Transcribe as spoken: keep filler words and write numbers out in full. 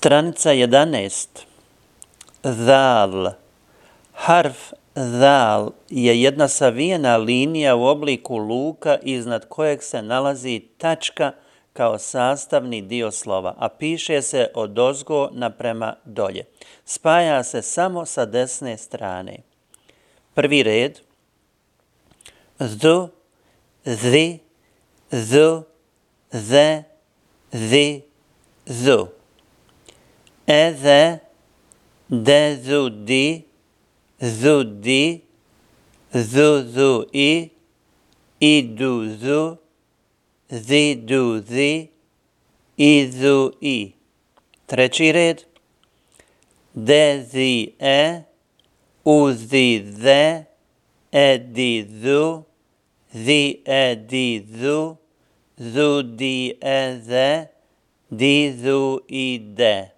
Stranica jedanaest. Zal. Harf zal je jedna savijena linija u obliku luka iznad kojeg se nalazi tačka kao sastavni dio slova, a piše se odozgo naprema dolje. Spaja se samo sa desne strane. Prvi red. Zu, zi, zu, ze, zi, zu. Eze, dezudi, zudi, zuzui, iduzu, ziduzi, izui. Treći red. Dezie, uzize, edizu, ziedizu, zudieze, dizuide.